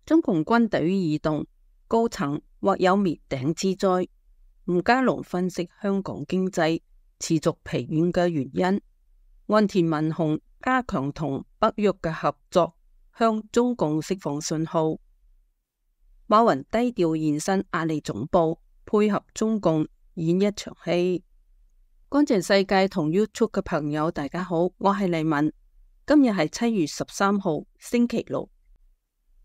中共軍隊異動，高層或有滅頂之災。吳家龍分析香港經濟持續疲軟嘅原因。岸田文雄加強同北約嘅合作，向中共釋放信號。馬雲低調現身阿里總部，配合中共演一場戲。乾淨世界同 YouTube 嘅朋友大家好，我係麗敏。今日係7月13號星期六。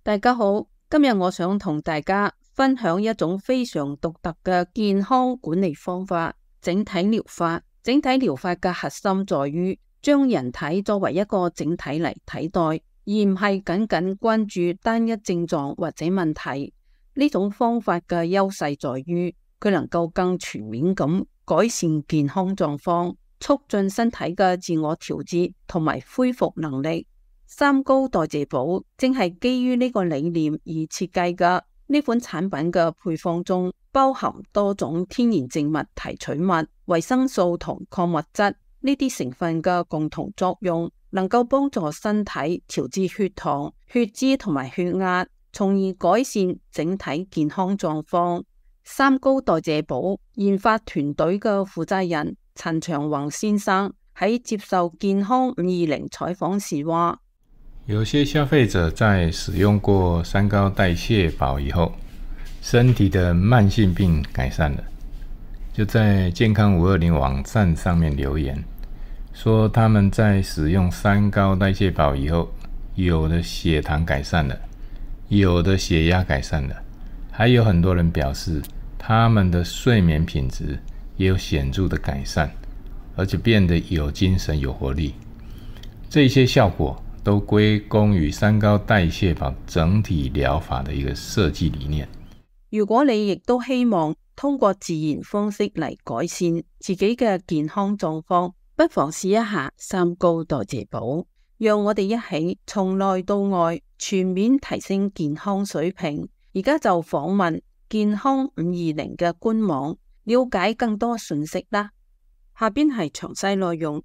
大家好，今日我想同大家分享一種非常獨特嘅健康管理方法——整體療法。整體療法嘅核心在於將人體作為一個整體嚟睇待，而唔係僅僅關注單一症狀或者問題。呢種方法嘅優勢在於佢能夠更全面咁改善健康狀況，促進身體嘅自我調節同埋恢復能力。三高代謝寶正係基於呢個理念而設計嘅。呢款產品嘅配方中包含多種天然靜脈提取物、維生素同礦物質，呢啲成分嘅共同作用能夠幫助身體調節血糖、血脂同埋血壓，從而改善整體健康狀況。三高代謝寶研發團隊嘅負責人陳長宏先生喺接受健康520採訪時話：有些消費者在使用過三高代謝寶以後，身體的慢性病改善了，就在健康520網站上面留言，說他們在使用三高代謝寶以後，有的血糖改善了，有的血壓改善了，還有很多人表示他們的睡眠品質也有顯著的改善，而且變得有精神有活力。這些效果都歸功於三高代謝寶整體療法的一個設計理念。如果你亦都希望通過自然方式嚟改善自己嘅健康狀況，不妨試一下三高代謝寶。讓我哋一起從內到外全面提升健康水平。而家就訪問健康520嘅官網，了解更多信息啦。下邊係詳細內容。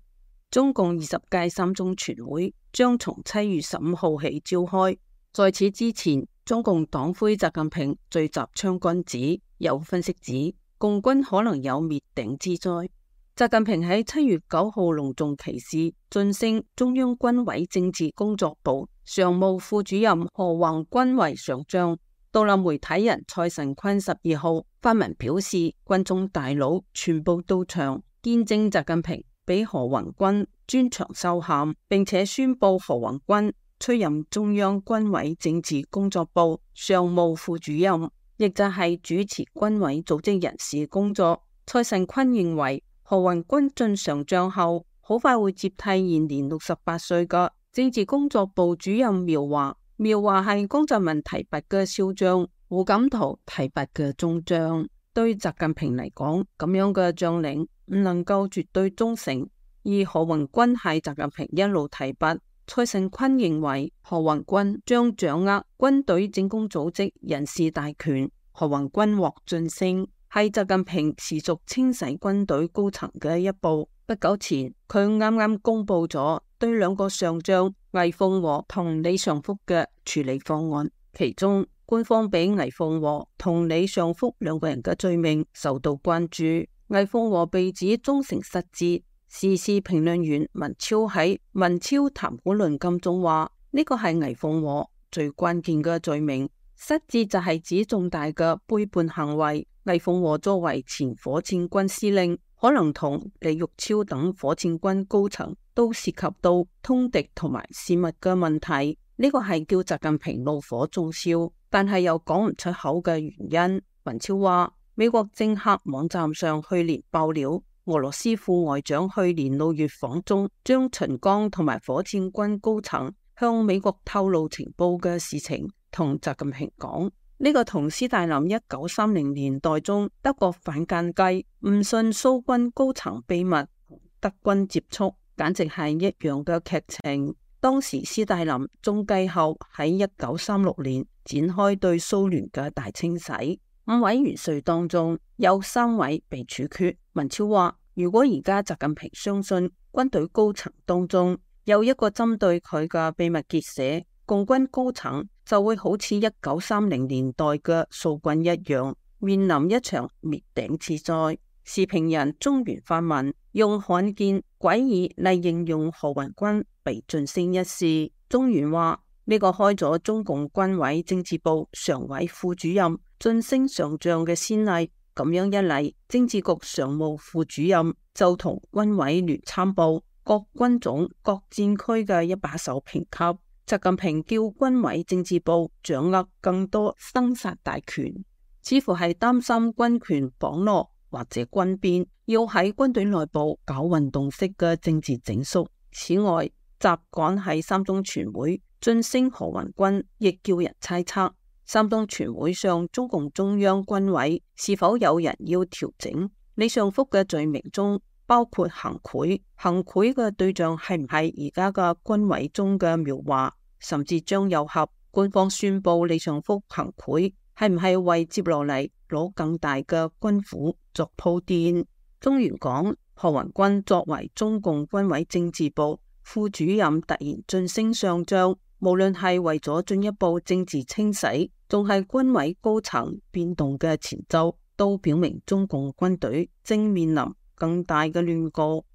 中共20屆三中全會將從7月15號起召開。在此之前，中共黨魁習近平聚集昌君子，有分析指共軍可能有滅頂之災。習近平喺7月9號隆重其事晉升中央軍委政治工作部常務副主任何宏軍為上將。獨立媒體人蔡晨坤12號發文表示，軍中大佬全部到場見證習近平俾何宏軍專場授銜，並且宣布何宏軍出任中央軍委政治工作部常務副主任，亦就係主持軍委組織人事工作。蔡晨坤認為，何宏軍晉上將後，好快會接替現年68歲嘅政治工作部主任苗華。苗華係江澤民提拔嘅少將，胡錦濤提拔嘅中將。對習近平嚟講，咁樣嘅將領唔能夠絕對忠誠，而何宏軍係習近平一路提拔。蔡晨坤認為，何宏軍將掌握軍隊政工組織人事大權。何宏軍獲晉升係習近平持續清洗軍隊高層嘅一步。不久前，佢啱啱公布咗對兩個上將魏鳳和同李尚福嘅處理方案，其中官方俾魏鳳和同李尚福兩個人嘅罪名受到關注。魏鳳和被指忠誠失節，時事評論員文超喺《文超談古論今》中話，呢個係魏鳳和最關鍵嘅罪名。失節就係指重大嘅背叛行為。魏鳳和作為前火箭軍司令，可能同李玉超等火箭軍高層都涉及到通敵同埋泄密嘅問題，呢個係叫習近平怒火中燒，但係又講唔出口嘅原因。文超話，美國政客網站上去年爆料，俄羅斯副外長去年6月訪中，將秦剛同埋火箭軍高層向美國透露情報嘅事情同習近平講。呢個同斯大林1930年代中德國反間計唔信蘇軍高層秘密同德軍接觸，簡直係一樣嘅劇情。當時斯大林中計後喺1936年展開對蘇聯嘅大清洗，5位元帥當中有3位被處決。文超話，如果而家習近平相信軍隊高層當中有一個針對佢嘅秘密結社，共軍高層就會好似1930年代嘅蘇軍一樣，面臨一場滅頂之災。時評人中原發文用罕見詭異嚟形容何雲君被晉升一事。中原話呢個開咗中共軍委政治部常委副主任晉升上將嘅先例，咁樣一嚟，政治局常務副主任就同軍委聯參部各軍種各戰區嘅一把手評級。習近平叫軍委政治部掌握更多生殺大權，似乎係擔心軍權綁絡或者軍變，要喺軍隊內部搞運動式嘅政治整肅。此外，習趕喺三中全會晉升何雲君，亦叫人猜測三中全會上中共中央軍委是否有人要調整。李尚福嘅罪名中包括行賄，行賄嘅對象係唔係而家嘅軍委中嘅苗華，甚至張又俠？官方宣布李尚福行賄，係唔係為接落嚟攞更大嘅軍府作鋪墊？中原講何雲君作為中共軍委政治部副主任突然晉升上將，無論係為咗進一步政治清洗，仲係軍委高層變動嘅前奏，都表明中共軍隊正面臨更大嘅亂局。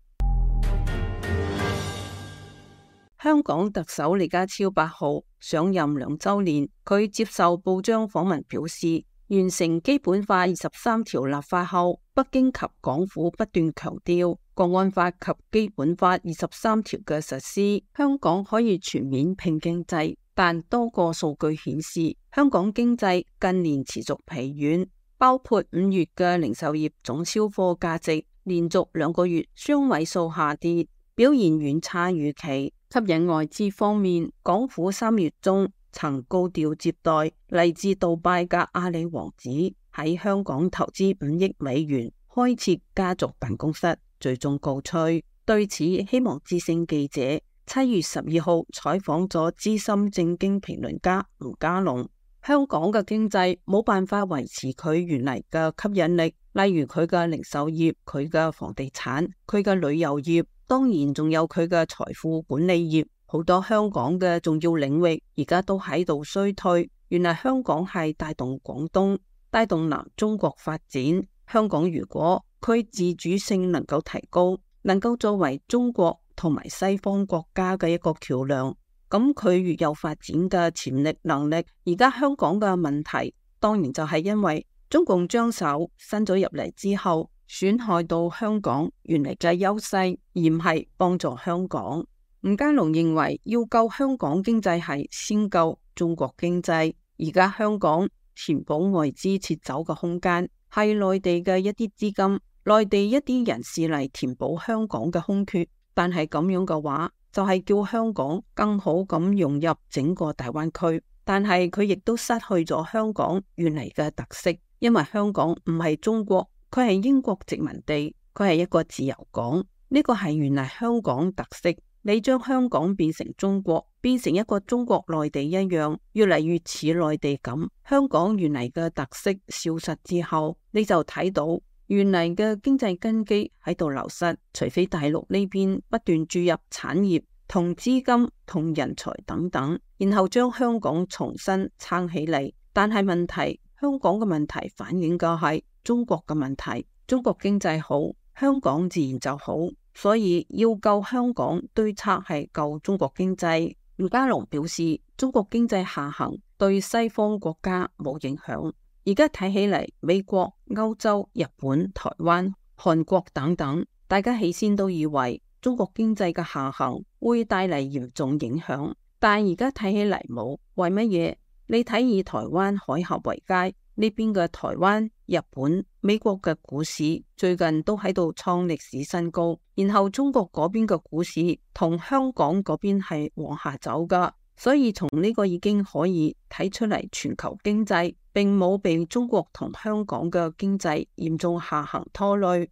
香港特首李家超8號上任2週年，佢接受報章訪問表示，完成基本法23條立法後，北京及港府不斷強調國安法及基本法23條嘅實施，香港可以全面拼經濟，但多個數據顯示，香港經濟近年持續疲軟，包括5月嘅零售業總銷貨價值連續2個月雙位數下跌，表現遠差預期。吸引外資方面，港府3月中曾高調接待嚟自杜拜嘅阿里王子，喺香港投資5億美元，開設家族辦公室，最終告吹。對此，希望之聲記者7月12號採訪咗資深政經評論家吳家龍。香港嘅經濟冇辦法維持佢原嚟嘅吸引力，例如佢嘅零售業、佢嘅房地產、佢嘅旅遊業，當然仲有佢嘅財富管理業，好多香港嘅重要領域而家都喺度衰退。原來香港係帶動廣東、帶動南中國發展。香港如果佢自主性能夠提高，能夠作為中國同埋西方國家嘅一個橋梁，咁佢越有發展嘅潛力能力。而家香港嘅問題當然就係因為中共將手伸咗入嚟之後，損害到香港原嚟嘅優勢，而唔係幫助香港。吳家龍認為要救香港經濟係先救中國經濟。而家香港填補外資撤走嘅空間係內地嘅一啲資金、內地一啲人士嚟填補香港嘅空缺，但係咁樣嘅話就係叫香港更好咁融入整個大灣區，但係佢亦都失去咗香港原嚟嘅特色，因為香港唔係中國，佢係英國殖民地，佢係一個自由港，呢個係原嚟香港特色。你將香港變成中國，變成一個中國內地一樣，越嚟越似內地咁，香港原嚟嘅特色消失之後，你就睇到原嚟嘅經濟根基喺度流失，除非大陸呢邊不斷注入產業同資金同人才等等，然後將香港重新撐起嚟。但係問題，香港嘅問題反映嘅係中國嘅問題，中國經濟好，香港自然就好。所以要救香港，對策係救中國經濟。吳家龍表示，中國經濟下行對西方國家冇影響。而家睇起嚟，美國、歐洲、日本、台灣、韓國等等，大家起先都以為中國經濟嘅下行會帶嚟嚴重影響，但而家睇起嚟冇。為乜嘢？你睇以台灣海峽為界，呢邊嘅台灣、日本、美國嘅股市最近都喺度創歷史新高，然後中國嗰邊嘅股市同香港嗰邊係往下走噶，所以從呢個已經可以睇出嚟，全球經濟並冇被中國同香港嘅經濟嚴重下行拖累。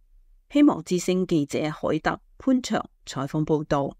希望之聲記者海德潘祥採訪報道。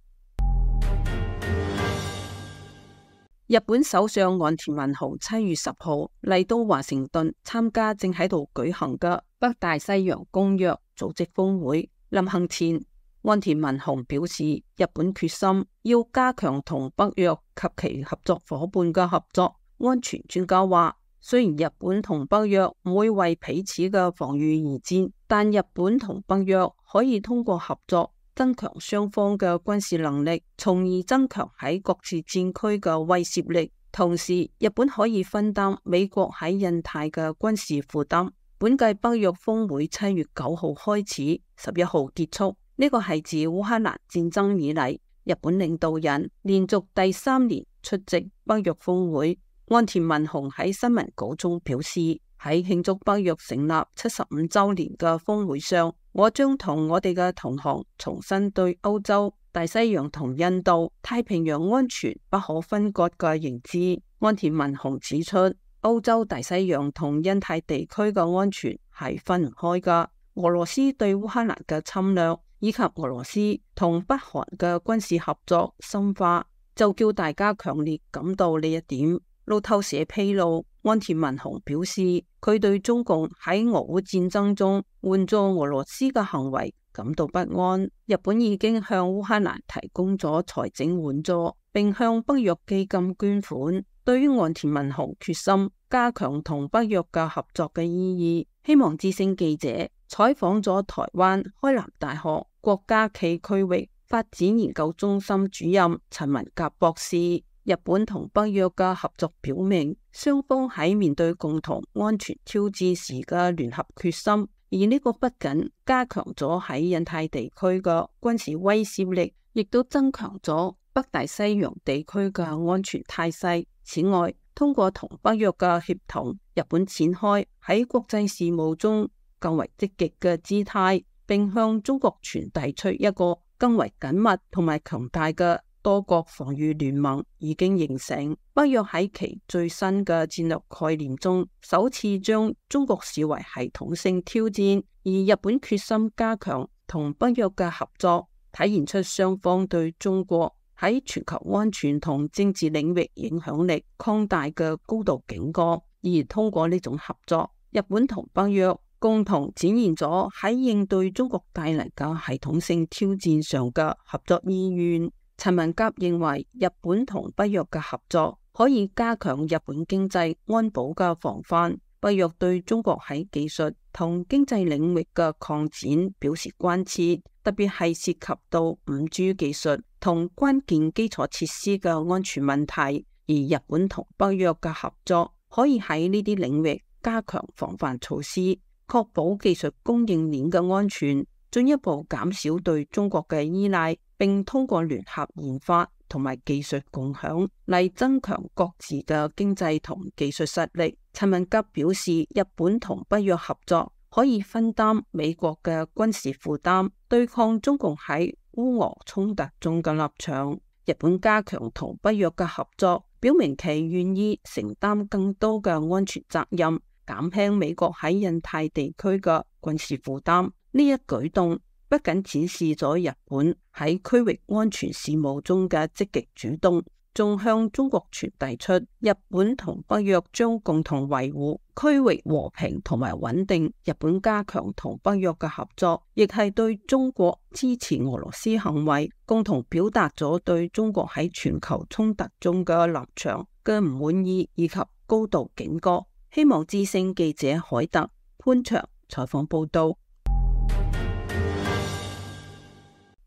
日本首相岸田文雄7月10號嚟到華盛頓參加正喺度舉行嘅北大西洋公約組織峰會。臨行前，岸田文雄表示，日本決心要加強同北約及其合作夥伴嘅合作，安全專家話，雖然日本同北約唔會為彼此嘅防禦而戰，但日本同北約可以通過合作增強雙方嘅軍事能力，從而增強喺各自戰區嘅威懾力。同時，日本可以分擔美國喺印太嘅軍事負擔。本屆北約峰會7月9號開始，11號結束。呢個係自烏克蘭戰爭以嚟，日本領導人連續第3年出席北約峰會。岸田文雄喺新聞稿中表示，喺慶祝北約成立75週年嘅峰會上，我將同我哋嘅同行重新對歐洲、大西洋同印度太平洋安全不可分割嘅認知。岸田文雄指出，歐洲、大西洋同印太地區嘅安全係分唔開㗎。俄羅斯對烏克蘭嘅侵略以及俄羅斯同北韓嘅軍事合作深化，就叫大家強烈感到呢一點。路透社披露，岸田文雄表示，佢對中共喺俄烏戰爭中援助俄羅斯嘅行為感到不安。日本已經向烏克蘭提供咗財政援助，並向北約基金捐款。對於岸田文雄決心加強同北約嘅合作嘅意義，希望之聲記者採訪咗台灣開南大學國家暨區域發展研究中心主任陳文甲博士。日本同北約嘅合作表明，雙方喺面對共同安全挑戰時嘅聯合決心，而呢個不僅加強咗喺印太地區嘅軍事威懾力，亦都增強咗北大西洋地區嘅安全態勢。此外，通過同北約嘅協同，日本展開喺國際事務中更為積極嘅姿態，並向中國傳遞出一個更為緊密同埋強大嘅多國防禦聯盟已經形成。北約喺其最新嘅戰略概念中，首次將中國視為系統性挑戰，而日本決心加強同北約嘅合作，體現出雙方對中國喺全球安全同政治領域影響力擴大嘅高度警覺。而通過呢種合作，日本同北約共同展現咗喺應對中國帶嚟嘅系統性挑戰上嘅合作意願。陳文甲認為，日本同北約嘅合作可以加強日本經濟安保嘅防範。北約對中國喺技術同經濟領域嘅擴展表示關切，特別係涉及到5G 技術同關鍵基礎設施嘅安全問題。而日本同北約嘅合作可以喺呢啲領域加強防範措施，確保技術供應鏈嘅安全，進一步減少對中國嘅依賴，並通過聯合研發同埋技術共享嚟增強各自嘅經濟同技術實力。陳文甲表示，日本同北約合作可以分擔美國嘅軍事負擔，對抗中共喺烏俄衝突中嘅立場。日本加強同北約嘅合作，表明其願意承擔更多嘅安全責任，減輕美國喺印太地區嘅軍事負擔。呢一舉動不僅展示咗日本喺區域安全事務中嘅積極主動，仲向中國傳遞出日本同北約將共同維護區域和平同埋穩定。日本加強同北約嘅合作，亦係對中國支持俄羅斯行為，共同表達咗對中國喺全球衝突中嘅立場嘅唔滿意以及高度警覺。希望之聲記者海特潘祥採訪報道。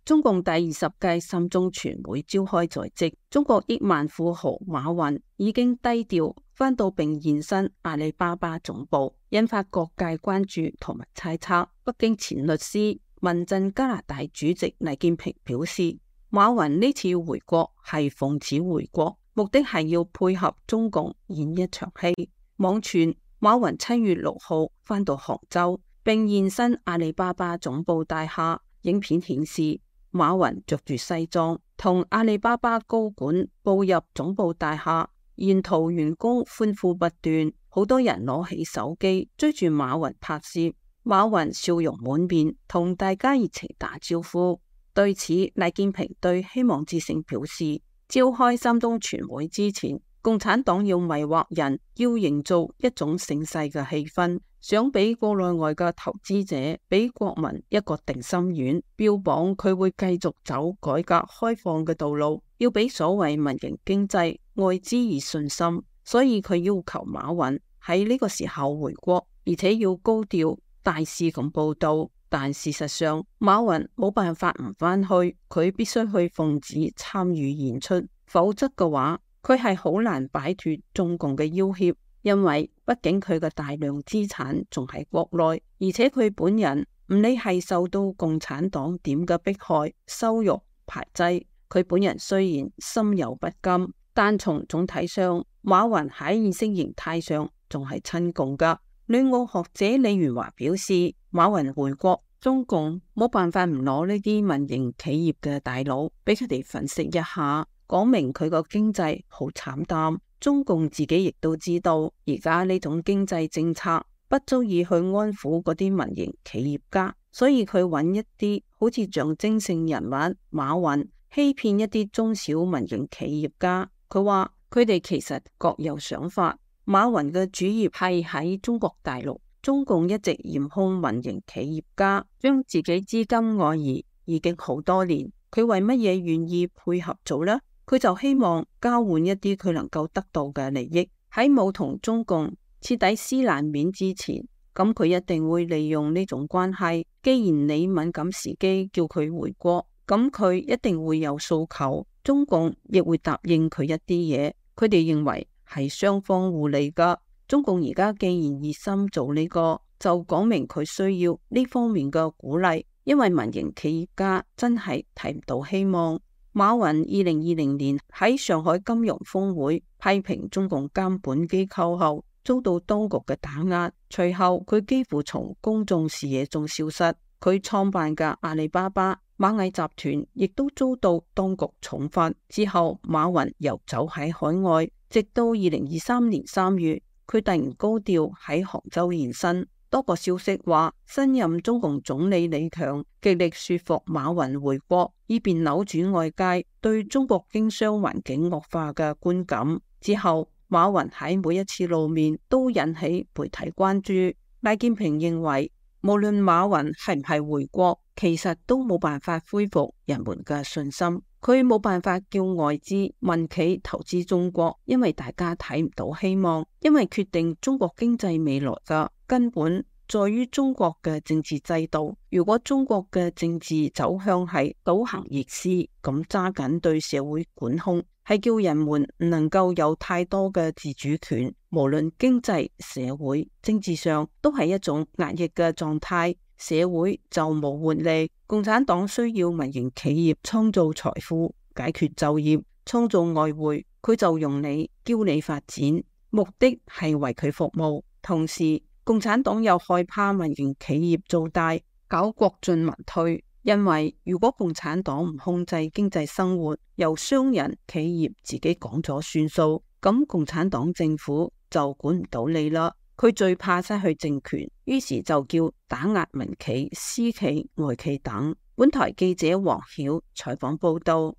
中共第20屆三中全會召開在即，中國億萬富豪馬雲已經低調返到並現身阿里巴巴總部，引發各界關注同埋猜測。北京前律師、民陣加拿大主席黎建平表示，馬雲呢次回國係奉旨回國，目的係要配合中共演一場戲。網傳馬雲7月6號返到杭州並現身阿里巴巴總部大廈，影片顯示馬雲着住西裝，同阿里巴巴高管步入總部大廈，沿途員工歡呼不斷，好多人攞起手機追住馬雲拍攝。馬雲笑容滿面，同大家熱情打招呼。對此，黎建平對希望之聲表示，召開三中全會之前，共產黨要迷惑人，要營造一種盛世嘅氣氛，想俾國內外嘅投資者，俾國民一個定心丸，標榜佢會繼續走改革開放嘅道路，要俾所謂民營經濟外資以信心。所以佢要求馬雲喺呢個時候回國，而且要高調大肆咁報道。但事實上，馬雲冇辦法唔返去，佢必須去奉旨參與演出，否則嘅話，佢係好難擺脫中共嘅要挾。因為畢竟佢嘅大量資產仲喺國內，而且佢本人唔理係受到共產黨點嘅迫害、羞辱、排擠，佢本人雖然心有不甘，但從總體上，馬雲喺意識形態上仲係親共噶。旅澳學者李元華表示，馬雲回國，中共冇辦法唔攞呢啲民營企業嘅大佬俾佢哋粉飾一下，講明佢個經濟好慘淡。中共自己亦都知道，而家呢種經濟政策不足以去安撫嗰啲民營企業家，所以佢揾一啲好似象徵性人物馬雲，欺騙一啲中小民營企業家。佢話佢哋其實各有想法。馬雲嘅主業係喺中國大陸，中共一直嚴控民營企業家將自己資金外移已經好多年，佢為乜嘢願意配合做呢？佢就希望交換一啲佢能夠得到嘅利益。喺冇同中共徹底撕爛面之前，咁佢一定會利用呢種關係。既然你敏感時機叫佢回國，咁佢一定會有訴求，中共亦會答應佢一啲嘢。佢哋認為係雙方互利噶。中共而家既然熱心做呢個，就講明佢需要呢方面嘅鼓勵，因為民營企業家真係睇唔到希望。馬雲2020年喺上海金融峰會批評中共監管機構後，遭到當局嘅打壓，隨後佢幾乎從公眾視野中消失。佢創辦嘅阿里巴巴、螞蟻集團亦都遭到當局重罰。之後馬雲遊走喺海外，直到2023年3月，佢突然高調喺杭州現身。多個消息話，新任中共總理李強極力說服馬雲回國，以便扭轉外界對中國經商環境惡化嘅觀感。之後，馬雲喺每一次露面都引起媒體關注。賴建平認為，無論馬雲係唔係回國，其實都冇辦法恢復人們嘅信心。佢冇辦法叫外資民企投資中國，因為大家睇唔到希望。因為決定中國經濟未來嘅根本在於中國嘅政治制度。如果中國嘅政治走向係倒行逆施，咁揸緊對社會管控，係叫人們唔能夠有太多嘅自主權，無論經濟、社會、政治上都係一種壓抑嘅狀態，社會就冇活力。共產黨需要民營企業創造財富、解決就業、創造外匯，佢就用你、叫你發展，目的係為佢服務。同時，共產黨又害怕民營企業做大，搞國進民退。因為如果共產黨唔控制經濟生活，由商人企業自己講咗算數，咁共產黨政府就管唔到你啦。佢最怕失去政權，於是就叫打壓民企、私企、外企等。本台記者黃曉採訪報道。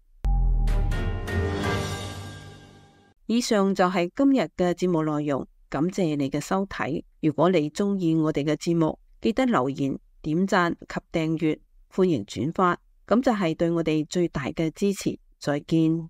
以上就係今日嘅節目內容，感謝你嘅收睇。如果你中意我哋嘅節目，記得留言、點讚及訂閱，歡迎轉發，咁就係對我哋最大嘅支持。再見。